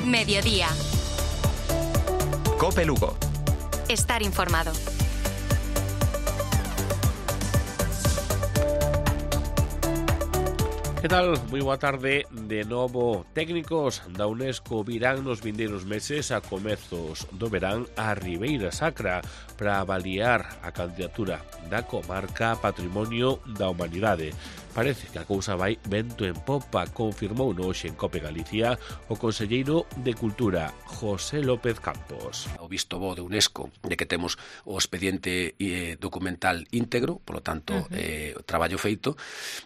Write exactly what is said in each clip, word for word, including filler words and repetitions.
Mediodía. Cope Lugo. Estar informado. Que tal? Moi boa tarde. De novo, técnicos da UNESCO virán nos vindeiros meses a comezos do verán a Ribeira Sacra para avaliar a candidatura da comarca Patrimonio da Humanidade. Parece que a cousa vai vento en popa, confirmou hoxe en Cope Galicia o conselleiro de Cultura, José López Campos. O visto bo de UNESCO de que temos o expediente eh, documental íntegro, polo tanto, uh-huh. eh, o traballo feito,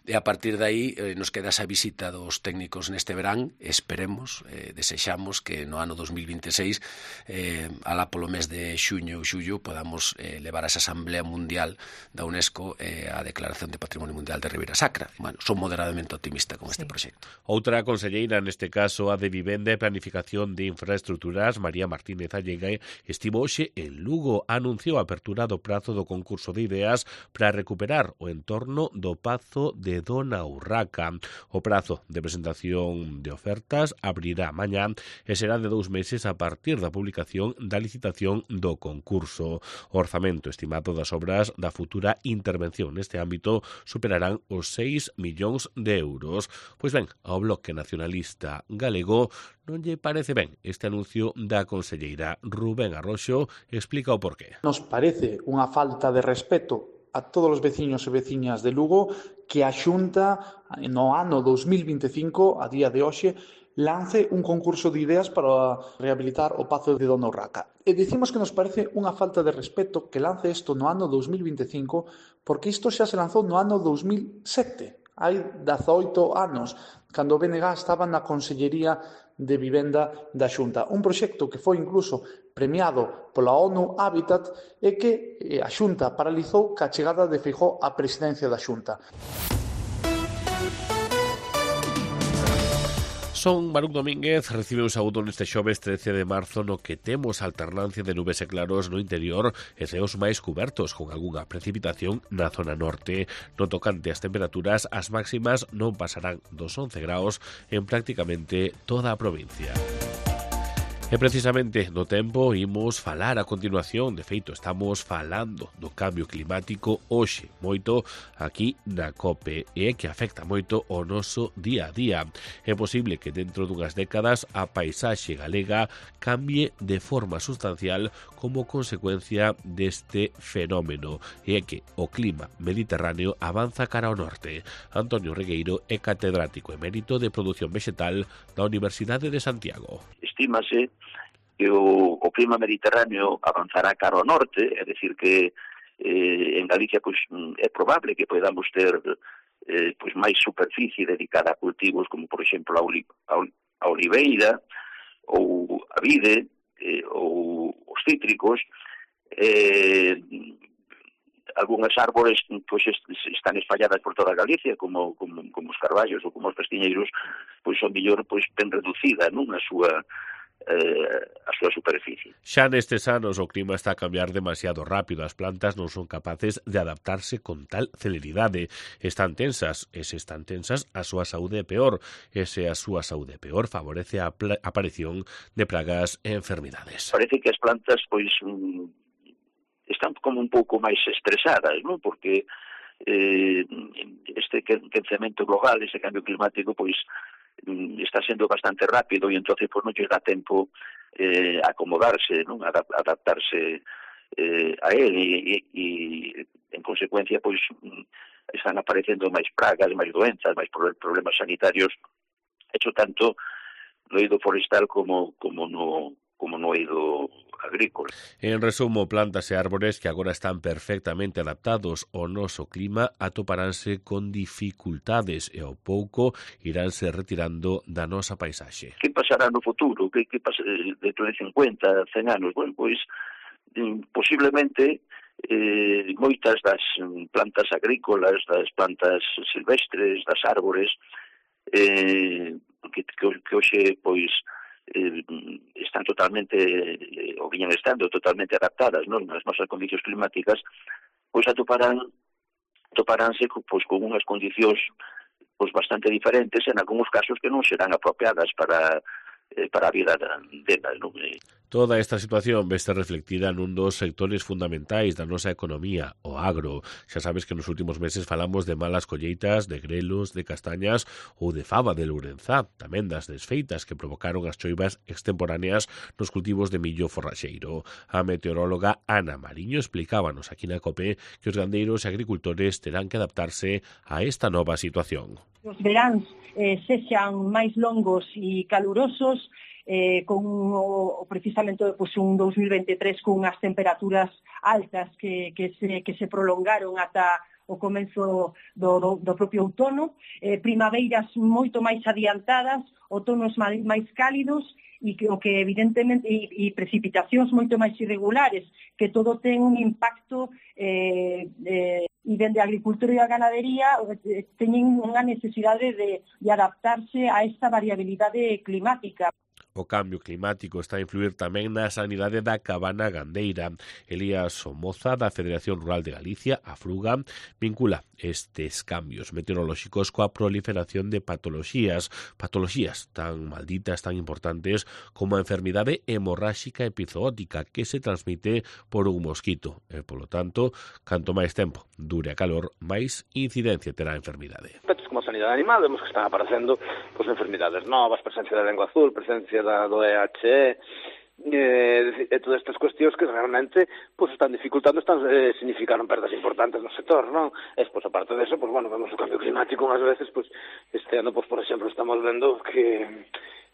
e a partir de aí eh, nos queda esa visita dos técnicos neste verán. Esperemos, eh, desexamos que no ano dos mil vinte e seis, eh, alá polo mes de xuño ou xullo, podamos eh, levar a esa Asamblea Mundial da UNESCO eh, a Declaración de Patrimonio Mundial de Ribeira Sacra. Bueno, son moderadamente optimista con sí. este proxecto. Outra conselleira, neste caso a de Vivenda e Planificación de Infraestructuras, María Martínez Allega, estivo hoxe en Lugo, anunciou a apertura do prazo do concurso de ideas para recuperar o entorno do Pazo de Dona Urraca. O prazo de presentación de ofertas abrirá mañá e será de dous meses a partir da publicación da licitación do concurso. O orzamento estimado das obras da futura intervención neste ámbito superarán os seis millóns de euros. Pois ben, ao Bloque Nacionalista Galego non lle parece ben este anuncio da conselleira. Rubén Arroxo explica o porqué. Nos parece unha falta de respeto a todos os veciños e veciñas de Lugo que a Xunta no ano dos mil vinte e cinco, a día de hoxe, lance un concurso de ideas para rehabilitar o Pazo de Dona Urraca. E dicimos que nos parece unha falta de respeto que lance isto no ano dos mil vinte e cinco, porque isto xa se lanzou no ano dos mil sete, hai dezaoito anos, cando o B N G estaba na Consellería de Vivenda da Xunta. Un proxecto que foi incluso premiado pola ONU Habitat e que a Xunta paralizou ca chegada de Feijóo á presidencia da Xunta. Son Baruc Domínguez, recibe un saúdo neste xoves trece de marzo no que temos alternancia de nubes e claros no interior e ceos máis cubertos con algunha precipitación na zona norte. No tocante ás temperaturas, as máximas non pasarán dos once graus en prácticamente toda a provincia. E precisamente do tempo imos falar a continuación. De feito, estamos falando do cambio climático hoxe moito aquí na COPE e que afecta moito o noso día a día. É posible que dentro dunhas décadas a paisaxe galega cambie de forma sustancial como consecuencia deste fenómeno e que o clima mediterráneo avanza cara ao norte. Antonio Regueiro é catedrático emérito de produción vegetal da Universidade de Santiago. Estímase que o, o clima mediterráneo avanzará cara ao norte, é dicir que eh, en Galicia pois, é probable que podamos ter eh, pois, máis superficie dedicada a cultivos como, por exemplo, a, oli, a, a oliveira ou a vide eh, ou os cítricos. Eh, algunhas árbores pois, están espalladas por toda Galicia, como, como, como os carballos ou como os pestiñeiros, pois son mellor pois, ben reducida non a súa Eh, a súa superficie. Xa nestes anos o clima está a cambiar demasiado rápido, as plantas non son capaces de adaptarse con tal celeridade. Están tensas, e se están tensas a súa saúde é peor, e se a súa saúde é peor favorece a aparición de pragas e enfermidades. Parece que as plantas pois mm, están como un pouco máis estresadas, non? Porque eh, este quencemento global, ese cambio climático, pois está sendo bastante rápido e entonces pues, non lle dá tempo eh, a acomodarse, non? A adaptarse eh, a él e, e, en consecuencia pois están aparecendo máis pragas, máis doenzas, máis problemas sanitarios, hecho tanto no eido forestal como, como no como no eido agrícola. En resumo, plantas e árbores que agora están perfectamente adaptados ao noso clima atoparánse con dificultades e ao pouco iránse retirando da nosa paisaxe. Que pasará no futuro? Que, que pasa dentro de cincuenta, cen anos? Bueno, pois posiblemente eh, moitas das plantas agrícolas, das plantas silvestres, das árbores eh, que, que, que hoxe pois Eh, están totalmente, eh, ou viñan estando totalmente adaptadas, non, nas nosas condicións climáticas, pois atoparán atoparánse pois, con unhas condicións pois, bastante diferentes, en algúns casos que non serán apropiadas para eh, para a vida dela, non? Toda esta situación veste reflectida nun dos sectores fundamentais da nosa economía, o agro. Xa sabes que nos últimos meses falamos de malas colleitas, de grelos, de castañas ou de fava de Lourenzá, tamén das desfeitas que provocaron as choivas extemporáneas nos cultivos de millo forraxeiro. A meteoróloga Ana Mariño explicábanos aquí na COPE que os gandeiros e agricultores terán que adaptarse a esta nova situación. Os veráns eh, sexan máis longos e calurosos, Eh, con o, precisamente pues, un dos mil veintitrés con unhas temperaturas altas que, que, se, que se prolongaron ata o comenzo do, do, do propio outono, eh, primaveiras moito máis adiantadas, outonos máis, máis cálidos e que, o que evidentemente e, e precipitacións moito máis irregulares, que todo ten un impacto eh, eh, e dende a agricultura e a ganadería eh, teñen unha necesidade de, de adaptarse a esta variabilidade climática. O cambio climático está a influir tamén na sanidade da cabana gandeira. Elías Somoza, da Federación Rural de Galicia, a Fruga, vincula estes cambios meteorolóxicos coa proliferación de patoloxías, patoloxías tan malditas, tan importantes como a enfermidade hemorráxica epizootica que se transmite por un mosquito. E, polo tanto, canto máis tempo dure a calor, máis incidencia terá a enfermidade. Aspectos como a sanidade animal, vemos que están aparecendo pues, enfermidades novas, presencia da lengua azul, presencia da, do E H E, eh, e todas estas cuestións que realmente pues, están dificultando, están eh, significaron perdas importantes no sector, non? E, pues, aparte de eso, pues, bueno, vemos o cambio climático unhas veces, pues, este ano, pues, por exemplo, estamos vendo que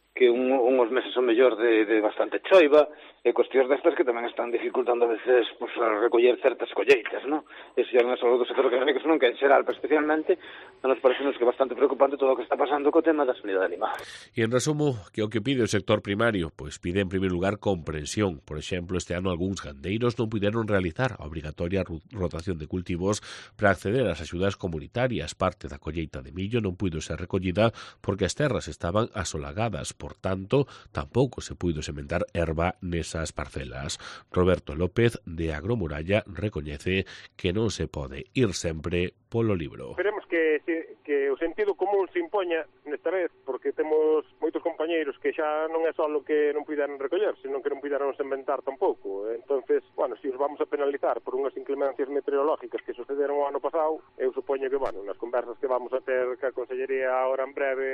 que un, unhos meses son mellor de, de bastante choiva, e cuestións destas que tamén están dificultando a veces pues, a recoller certas colleitas, non? Eso xa non é só do sector económico, senón que en xeral, pero especialmente, nos parece que é bastante preocupante todo o que está pasando co tema da sanidade animal. E en resumo, que o que pide o sector primario? Pois pide en primeiro lugar comprensión. Por exemplo, este ano algúns gandeiros non puderon realizar a obrigatoria rotación de cultivos para acceder ás axudas comunitarias. Parte da colleita de millo non puido ser recollida porque as terras estaban asolagadas. Por tanto, tampouco se puido sementar erva nesas parcelas. Roberto López, de Agromuralla, recoñece que non se pode ir sempre polo libro. Esperemos que, que o sentido común se impoña nesta vez, porque temos moitos compañeiros que xa non é só o que non puideron recoller, senón que non puideron sementar tampouco. Entonces, bueno, se os vamos a penalizar por unhas inclemencias meteorológicas que sucederon o ano pasado, eu supoño que, bueno, nas conversas que vamos a ter ca Consellería ahora en breve,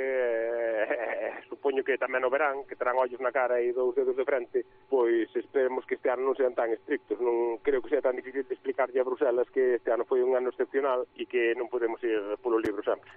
eh, supoño que tamén o verán, que terán ollos na cara e dous dedos de frente, pois esperemos que este ano non sean tan estrictos. Non creo que sea tan difícil de explicarlle a Bruselas que este ano foi un ano excepcional e que non podemos ir polo libro sempre.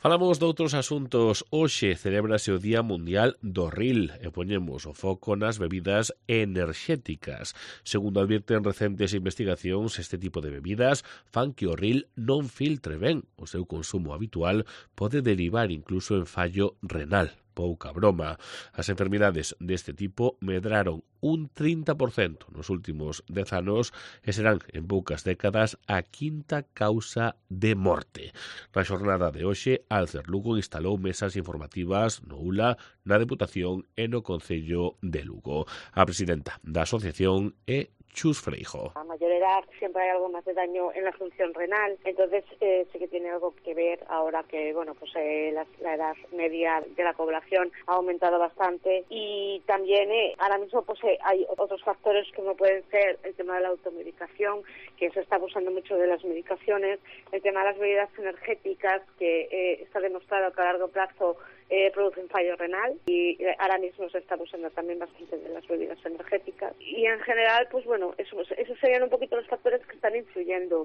Falamos de outros asuntos. Hoxe celébrase o Día Mundial do Ril e poñemos o foco nas bebidas enerxéticas. Segundo advirten recentes investigacións, este tipo de bebidas fan que o ril non filtre ben. O seu consumo habitual pode derivar incluso en fallo renal. Pouca broma. As enfermidades deste tipo medraron un trinta por cento nos últimos dez anos e serán en poucas décadas a quinta causa de morte. Na xornada de hoxe, Alcer Lugo instalou mesas informativas no U L A, na Deputación e no Concello de Lugo. A presidenta da asociación é Chus Freijo. A mayor edad siempre hay algo más de daño en la función renal, entonces eh, sí que tiene algo que ver ahora que bueno pues eh, la, la edad media de la población ha aumentado bastante y también eh, ahora mismo pues eh, hay otros factores como pueden ser el tema de la automedicación, que se está abusando mucho de las medicaciones, el tema de las bebidas energéticas, que eh, está demostrado que a largo plazo Eh, producen fallo renal y ahora mismo se está abusando también bastante de las bebidas energéticas y en general pues bueno, eso, esos serían un poquito los factores que están influyendo.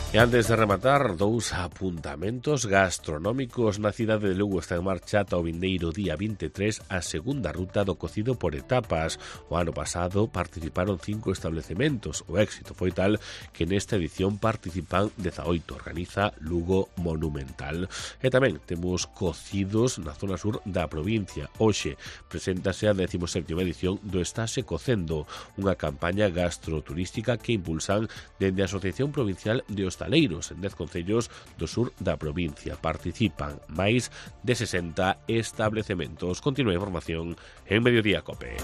E antes de rematar, dous apuntamentos gastronómicos. Na cidade de Lugo está en marcha ata o vindeiro día vinte e tres a segunda ruta do cocido por etapas. O ano pasado participaron cinco establecementos. O éxito foi tal que nesta edición participan dezaoito. Organiza Lugo Monumental. E tamén temos cocidos na zona sur da provincia. Hoxe preséntase a décima sétima edición do Estase Cocendo, unha campaña gastroturística que impulsan dende a Asociación Provincial de Hostaleiros en dez concellos do sur da provincia. Participan máis de sesenta establecementos. Continúa a información en Mediodía Cope.